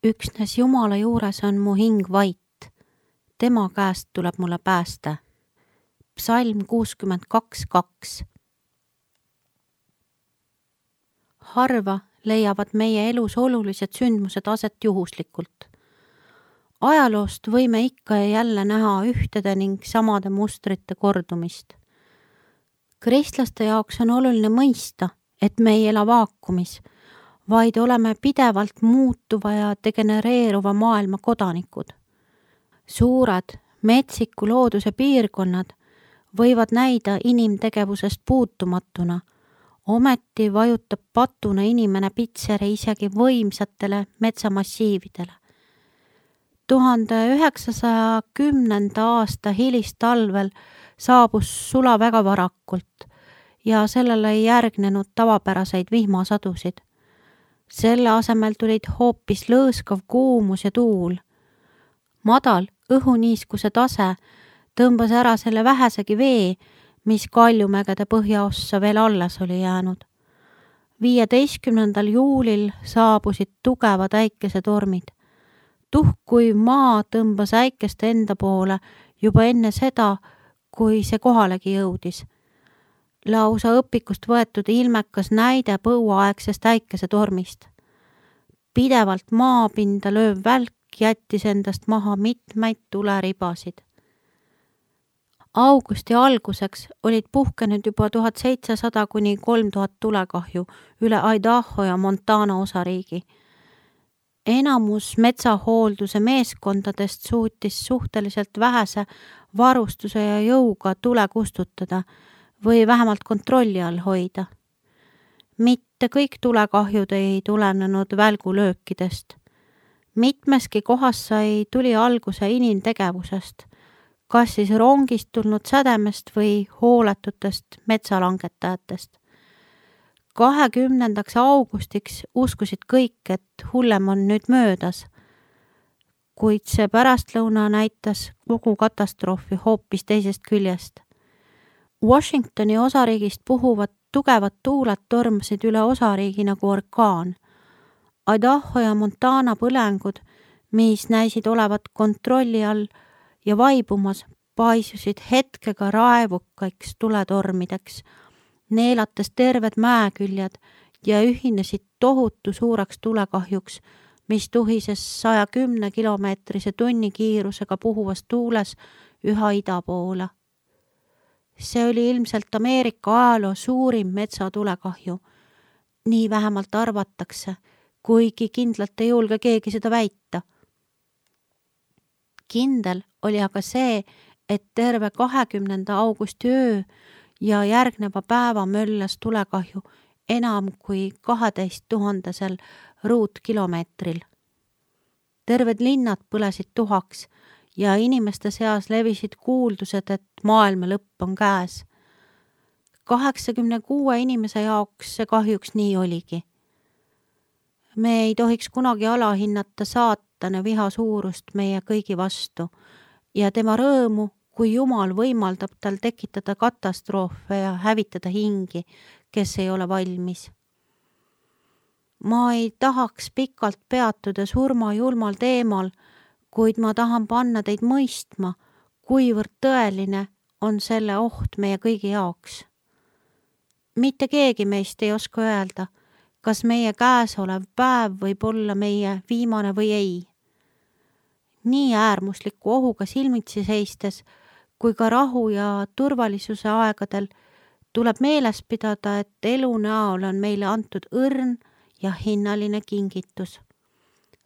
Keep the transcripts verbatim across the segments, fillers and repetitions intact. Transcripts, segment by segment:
Üksnes Jumala juures on mu hing vait. Tema käest tuleb mulle päästa. Psalm kuuskümmend kaks kaks. Harva leiavad meie elus olulised sündmused aset juhuslikult. Ajaloost võime ikka ja jälle näha ühtede ning samade mustrite kordumist. Kristlaste jaoks on oluline mõista, et me ei ela vaakumis, vaid oleme pidevalt muutuva ja degenereeruva maailma kodanikud. Suured, metsiku looduse piirkonnad võivad näida inimtegevusest puutumatuna, ometi vajutab patuna inimene pitseri isegi võimsatele metsamassiividele. tuhande üheksasaja kümnenda aasta hilistalvel saabus sula väga varakult ja sellele ei järgnenud tavapäraseid vihmasadusid. Selle asemel tulid hoopis lõõskav kuumus ja tuul. Madal õhuniiskuse tase tõmbas ära selle vähesegi vee, mis Kaljumägede põhjaossa veel alles oli jäänud. viieteistkümnendal juulil saabusid tugevad äikesetormid. Tuhkuiv maa tõmbas äikest enda poole juba enne seda, kui see kohalegi jõudis. Lausa õpikust võetud ilmekas näide põuaaegsest äikesetormist. Pidevalt maapinda lööv välk jättis endast maha mitmeid tuleribasid. Augusti alguseks olid puhkenud juba tuhat seitsesada kuni kolm tuhat tulekahju üle Idaho ja Montana osariigi. Enamus metsahoolduse meeskondadest suutis suhteliselt vähese varustuse ja jõuga tule kustutada või vähemalt kontrolli all hoida. Mitte kõik tulekahjud ei tulenenud välgulöökidest. Mitmeski kohas sai tuli alguse inimtegevusest, kas siis rongist tulnud sädemest või hooletutest metsalangetajatest. kahekümnendaks augustiks uskusid kõik, et hullem on nüüd möödas, kuid see pärastlõuna näitas kogu katastroofi hoopis teisest küljest. Washingtoni osariigist puhuvad tugevad tuuled tormasid üle osariigi nagu orkaan. Idaho ja Montana põlengud, mis näisid olevat kontrolli all ja vaibumas, paisusid hetkega raevukaiks tuletormideks, neelates terved mäeküljed ja ühinesid tohutu suureks tulekahjuks, mis tuhises saja kümne kilomeetrise tunni kiirusega puhuvas tuules üha ida poole. See oli ilmselt Ameerika ajaloo suurim metsatulekahju. Nii vähemalt arvatakse, kuigi kindlalt ei julge keegi seda väita. Kindel oli aga see, et terve kahekümnenda augusti öö ja järgneva päeva möllas tulekahju enam kui kaheteist tuhandesel ruutkilomeetril. Terved linnad põlesid tuhaks ja inimeste seas levisid kuuldused, et maailma lõpp on käes. kaheksakümne kuue inimese jaoks see kahjuks nii oligi. Me ei tohiks kunagi alahinnata saatana viha suurust meie kõigi vastu ja tema rõõmu, kui Jumal võimaldab tal tekitada katastroofe ja hävitada hingi, kes ei ole valmis. Ma ei tahaks pikalt peatuda surma julmal teemal, kuid ma tahan panna teid mõistma, kuivõrd tõeline on selle oht meie kõigi jaoks. Mitte keegi meist ei oska öelda, kas meie käes olev päev võib olla meie viimane või ei. Nii äärmusliku ohuga silmitsi seistes, kui ka rahu ja turvalisuse aegadel tuleb meeles pidada, et elu näol on meile antud õrn ja hinnaline kingitus.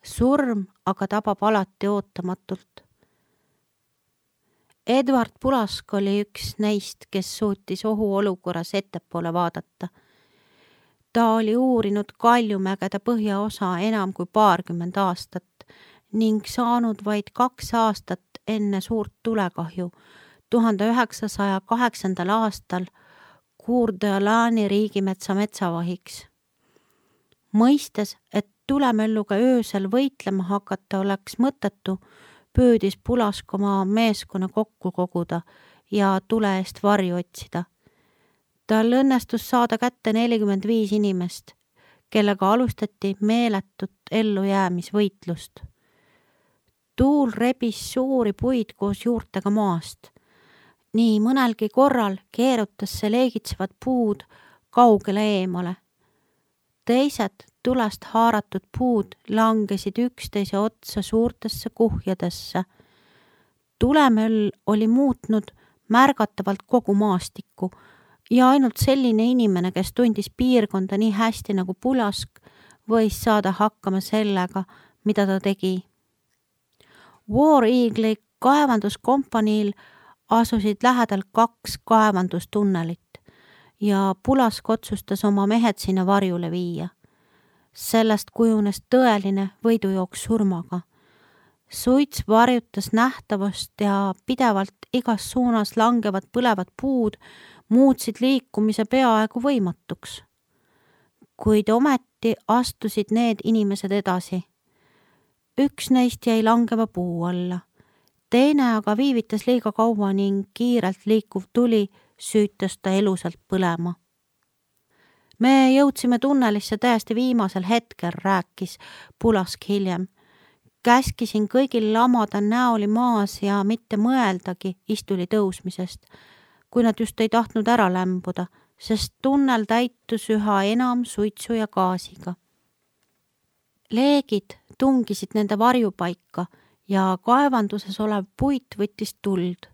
Surm aga tabab alati ootamatult. Edward Pulask oli üks neist, kes suutis ohuolukorras ettepoole vaadata. Ta oli uurinud Kaljumägede põhjaosa enam kui paarkümmend aastat ning saanud vaid kaks aastat enne suurt tulekahju tuhande üheksasaja kaheksandal aastal Coeur d'Alene riigimetsa metsavahiks. Mõistes, et tulemölluga öösel võitlema hakata oleks mõttetu, püüdis Pulask oma meeskonna kokku koguda ja tule eest varju otsida. Tal õnnestus saada kätte nelikümmend viis inimest, kellega alustati meeletut ellujäämisvõitlust. Tuul rebis suuri puid koos juurtega maast. Nii mõnelgi korral keerutas see leegitsevad puud kaugele eemale. Teised tulest haaratud puud langesid üksteise otsa suurtesse kuhjadesse. Tulemöll oli muutnud märgatavalt kogu maastikku ja ainult selline inimene, kes tundis piirkonda nii hästi nagu Pulask, võis saada hakkama sellega, mida ta tegi. War Eagle'i kaevanduskompaniil asusid lähedal kaks kaevandustunnelit ja Pulask otsustas oma mehed sinna varjule viia. Sellest kujunes tõeline võidujooks surmaga. Suits varjutas nähtavust ja pidevalt igas suunas langevad põlevad puud muutsid liikumise peaaegu võimatuks. Kuid ometi astusid need inimesed edasi. Üks neist jäi langeva puu alla. Teine aga viivitas liiga kaua ning kiirelt liikuv tuli süütas ta elusalt põlema. Me jõudsime tunnelisse täiesti viimasel hetkel, rääkis Pulask hiljem. Käskisin kõigil lamada näoli maas ja mitte mõeldagi istuli tõusmisest, kui nad just ei tahtnud ära lämbuda, sest tunnel täitus üha enam suitsu ja gaasiga. Leegid tungisid nende varjupaika ja kaevanduses olev puit võttis tuld.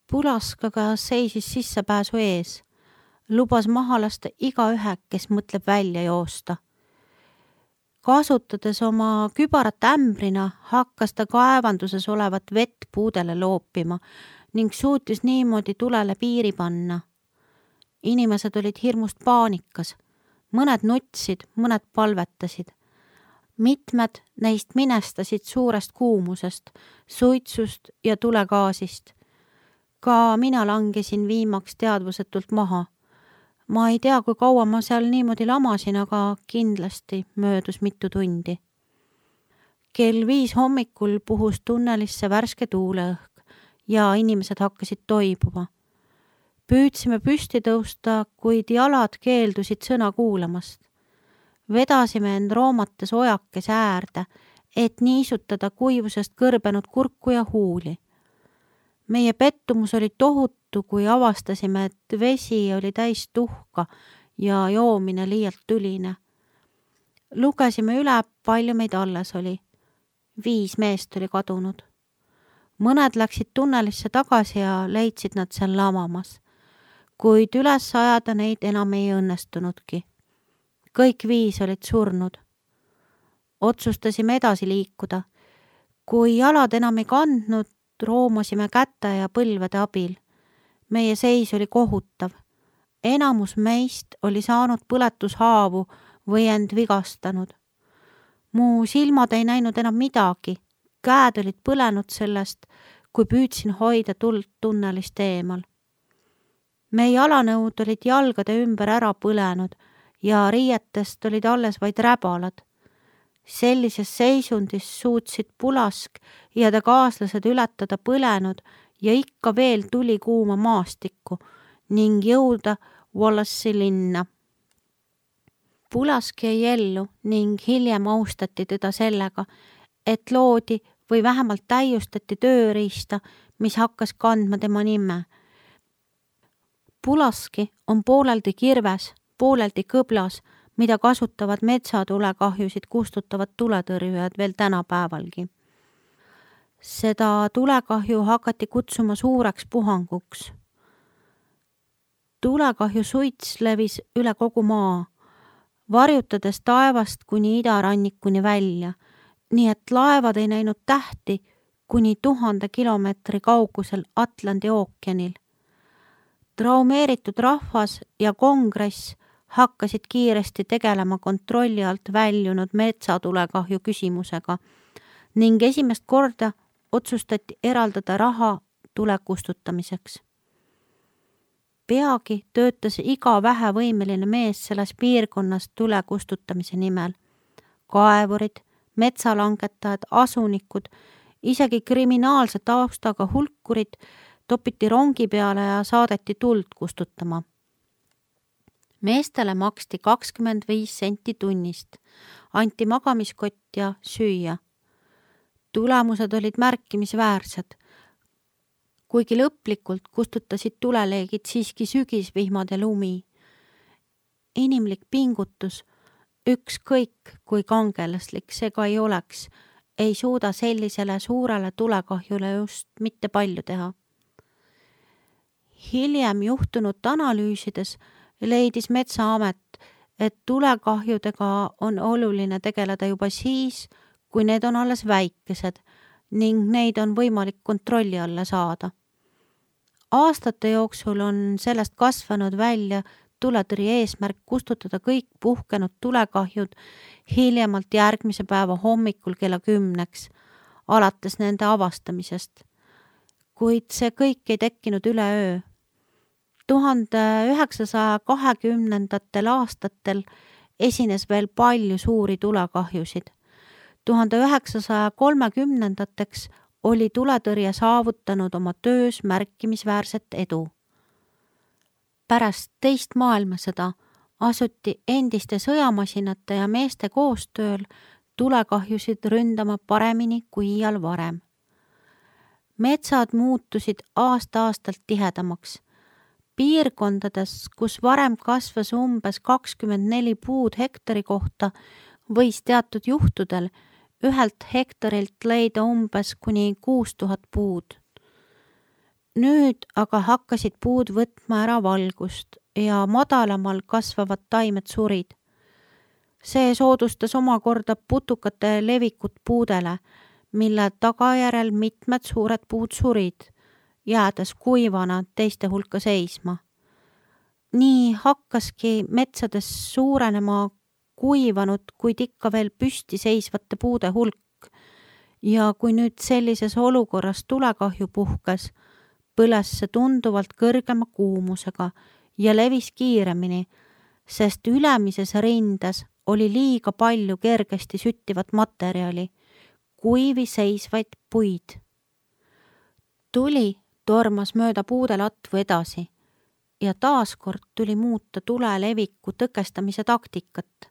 Pulask aga seisis sissepääsu ees. Lubas maha lasta igaühe, kes mõtleb välja joosta. Kasutades oma kübarat ämbrina, hakkas ta kaevanduses olevat vett puudele loopima ning suutis niimoodi tulele piiri panna. Inimesed olid hirmust paanikas. Mõned nutsid, mõned palvetasid. Mitmed neist minestasid suurest kuumusest, suitsust ja tulegaasist. Ka mina langesin viimaks teadvusetult maha. Ma ei tea, kui kaua ma seal niimoodi lamasin, aga kindlasti möödus mitu tundi. Kell viis hommikul puhus tunnelisse värske tuuleõhk ja inimesed hakkasid toibuma. Püüdsime püsti tõusta, kuid jalad keeldusid sõna kuulamast. Vedasime end roomates ojakes äärde, et niisutada kuivusest kõrbenud kurku ja huuli. Meie pettumus oli tohutu, kui avastasime, et vesi oli täis tuhka ja joomine liialt tüline. Lugesime üle, palju meid alles oli. Viis meest oli kadunud. Mõned läksid tunnelisse tagasi ja leidsid nad seal lamamas, kuid üles ajada neid enam ei õnnestunudki. Kõik viis olid surnud. Otsustasime edasi liikuda. Kui jalad enam ei kandnud, roomasime käte ja põlvede abil. Meie seis oli kohutav. Enamus meist oli saanud põletushaavu või end vigastanud. Mu silmad ei näinud enam midagi. Käed olid põlenud sellest, kui püüdsin hoida tuld tunnelist eemal. Meie jalanõud olid jalgade ümber ära põlenud ja riietest olid alles vaid räbalad. Sellises seisundis suutsid Pulask ja ta kaaslased ületada põlenud ja ikka veel tuli kuuma maastikku ning jõuda Wallace'i linna. Pulask jäi ellu ning hiljem austati teda sellega, et loodi või vähemalt täiustati tööriista, mis hakkas kandma tema nime. Pulaski on pooleldi kirves, pooleldi kõblas, mida kasutavad metsatulekahjusid kustutavad tuletõrjujad veel tänapäevalgi. Seda tulekahju hakati kutsuma suureks puhanguks. Tulekahju suits levis üle kogu maa, varjutades taevast kuni idarannikuni välja, nii et laevad ei näinud tähti kuni tuhande kilomeetri kaugusel Atlandi ookeanil. Traumeeritud rahvas ja kongress hakkasid kiiresti tegelema kontrolli alt väljunud metsatulekahju küsimusega ning esimest korda otsustati eraldada raha tule kustutamiseks. Peagi töötas iga vähevõimeline mees selles piirkonnas tule kustutamise nimel. Kaevurid, metsalangetajad, asunikud, isegi kriminaalse taustaga hulkurid topiti rongi peale ja saadeti tuld kustutama. Meestele maksti kakskümmend viis senti tunnist, anti magamiskott ja süüa. Tulemused olid märkimisväärsed, kuigi lõplikult kustutasid tuleleegid siiski sügisvihmad ja lumi. Inimlik pingutus, ükskõik kui kangelaslik see ka ei oleks, ei suuda sellisele suurele tulekahjule just mitte palju teha. Hiljem juhtunut analüüsides leidis Metsaamet, et tulekahjudega on oluline tegeleda juba siis, kui need on alles väikesed ning neid on võimalik kontrolli alla saada. Aastate jooksul on sellest kasvanud välja tuletõrje eesmärk kustutada kõik puhkenud tulekahjud hiljemalt järgmise päeva hommikul kella kümneks, alates nende avastamisest. Kuid see kõik ei tekkinud üleöö. tuhande üheksasaja kahekümnendatel aastatel esines veel palju suuri tulekahjusid. tuhande üheksasaja kolmekümnendateks oli tuletõrje saavutanud oma töös märkimisväärset edu. Pärast teist maailmasõda asuti endiste sõjamasinate ja meeste koostööl tulekahjusid ründama paremini kui iial varem. Metsad muutusid aasta-aastalt tihedamaks. Piirkondades, kus varem kasvas umbes kakskümmend neli puud hektari kohta, võis teatud juhtudel ühelt hektarilt leida umbes kuni kuus tuhat puud. Nüüd aga hakkasid puud võtma ära valgust ja madalamal kasvavad taimed surid. See soodustas omakorda putukate levikut puudele, mille tagajärel mitmed suured puud surid, jäädes kuivana teiste hulka seisma. Nii hakkaski metsades suurenema kuivanud, kuid ikka veel püsti seisvate puude hulk. Ja kui nüüd sellises olukorras tulekahju puhkes, põles see tunduvalt kõrgema kuumusega ja levis kiiremini, sest ülemises rindes oli liiga palju kergesti süttivat materjali, kuivi seisvaid puid. Tuli tormas mööda puude latvu edasi ja taaskord tuli muuta tule leviku tõkestamise taktikat.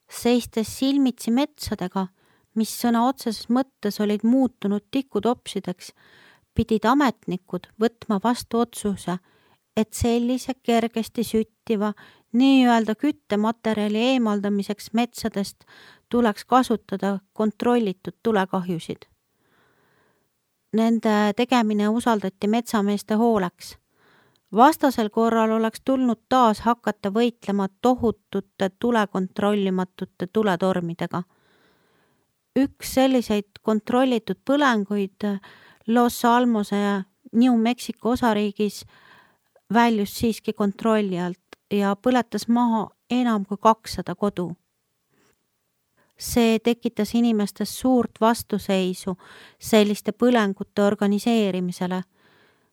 Seistes silmitsi metsadega, mis sõna otseses mõttes olid muutunud tikutopsideks, pidid ametnikud võtma vastu otsuse, et sellise kergesti süttiva nii-öelda küttematerjali eemaldamiseks metsadest tuleks kasutada kontrollitud tulekahjusid. Nende tegemine usaldati metsameeste hooleks. Vastasel korral oleks tulnud taas hakata võitlema tohutute tulekontrollimatute tuletormidega. Üks selliseid kontrollitud põlenguid Los Almose ja New Mexico osariigis väljus siiski kontrolli alt ja põletas maha enam kui kakssada kodu. See tekitas inimestes suurt vastuseisu selliste põlengute organiseerimisele.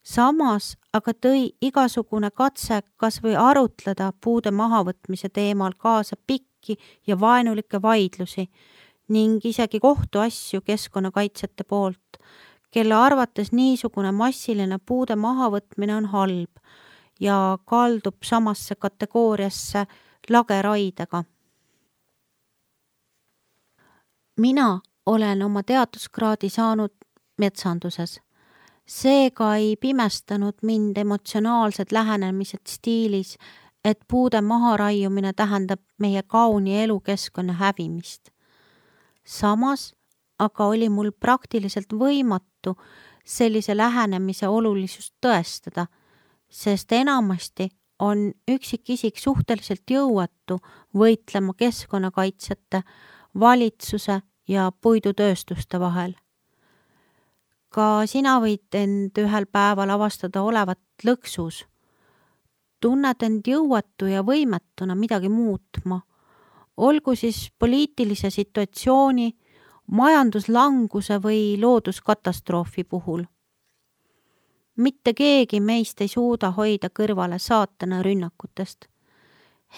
Samas aga tõi igasugune katse kas või arutleda puude mahavõtmise teemal kaasa pikki ja vaenulikke vaidlusi ning isegi kohtuasju keskkonnakaitsjate poolt, kelle arvates niisugune massiline puude mahavõtmine on halb ja kaldub samasse kategooriasse lageraidega. Mina olen oma teaduskraadi saanud metsanduses. Seega ei pimestanud mind emotsionaalsed lähenemised stiilis, et puude maharaiumine tähendab meie kauni elukeskkonna hävimist. Samas aga oli mul praktiliselt võimatu sellise lähenemise olulisust tõestada, sest enamasti on üksikisik suhteliselt jõuetu võitlema keskkonnakaitsjate, valitsuse ja puidutööstuste vahel. Ka sina võid end ühel päeval avastada olevat lõksus. Tunned end jõuetu ja võimetuna midagi muutma. Olgu siis poliitilise situatsiooni, majanduslanguse või looduskatastroofi puhul. Mitte keegi meist ei suuda hoida kõrvale saatana rünnakutest.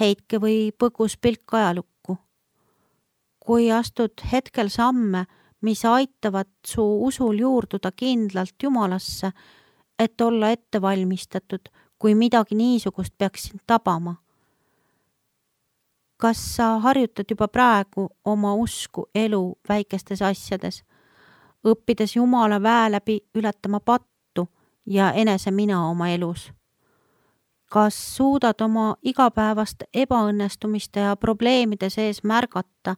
Heitke või põgus pilk ajalukku. Kui astud hetkel samme, mis aitavad su usul juurduda kindlalt Jumalasse, et olla ettevalmistatud, kui midagi niisugust peaks sind tabama, Kas sa harjutad juba praegu oma usku elu väikestes asjades, õppides Jumala väe läbi ületama pattu ja enese mina oma elus? Kas suudad oma igapäevast ebaõnnestumiste ja probleemide sees märgata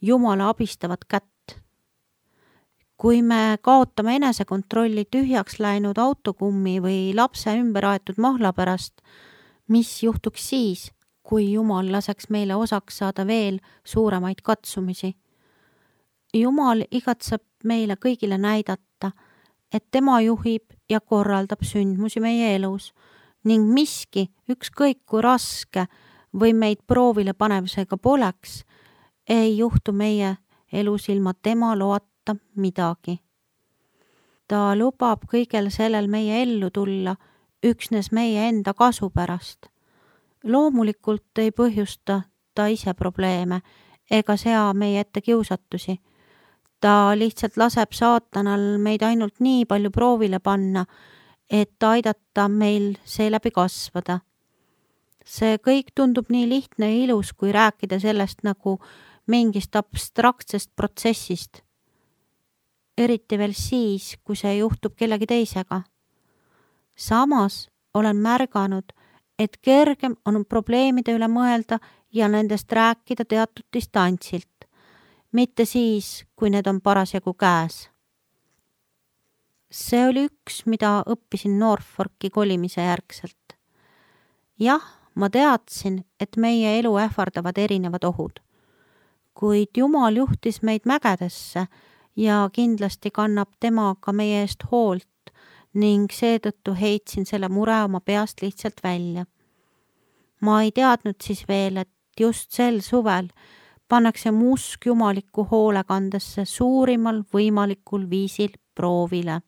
Jumala abistavat kätt? Kui me kaotame enesekontrolli tühjaks läinud autokummi või lapse ümber aetud mahla pärast, mis juhtuks siis, kui Jumal laseks meile osaks saada veel suuremaid katsumisi? Jumal igatseb meile kõigile näidata, et tema juhib ja korraldab sündmusi meie elus ning miski, ükskõik kui raske või meid proovile panevusega poleks, ei juhtu meie elus ilma tema loata midagi. Ta lubab kõigel sellel meie ellu tulla üksnes meie enda kasu pärast. Loomulikult ei põhjusta ta ise probleeme ega sea meie ette kiusatusi. Ta lihtsalt laseb saatanal meid ainult nii palju proovile panna, et aidata meil seeläbi kasvada. See kõik tundub nii lihtne ja ilus, kui rääkida sellest nagu mingist abstraktsest protsessist. Eriti veel siis, kui see juhtub kellegi teisega. Samas olen märganud, et kergem on probleemide üle mõelda ja nendest rääkida teatud distantsilt, mitte siis, kui need on parasjagu käes. See oli üks, mida õppisin Norfolki kolimise järgselt. Jah, ma teadsin, et meie elu ähvardavad erinevad ohud, kuid Jumal juhtis meid mägedesse ja kindlasti kannab tema ka meie eest hoolt ning seetõttu heitsin selle mure oma peast lihtsalt välja. Ma ei teadnud siis veel, et just sel suvel pannakse mu usk jumalikku hoolekandesse suurimal võimalikul viisil proovile.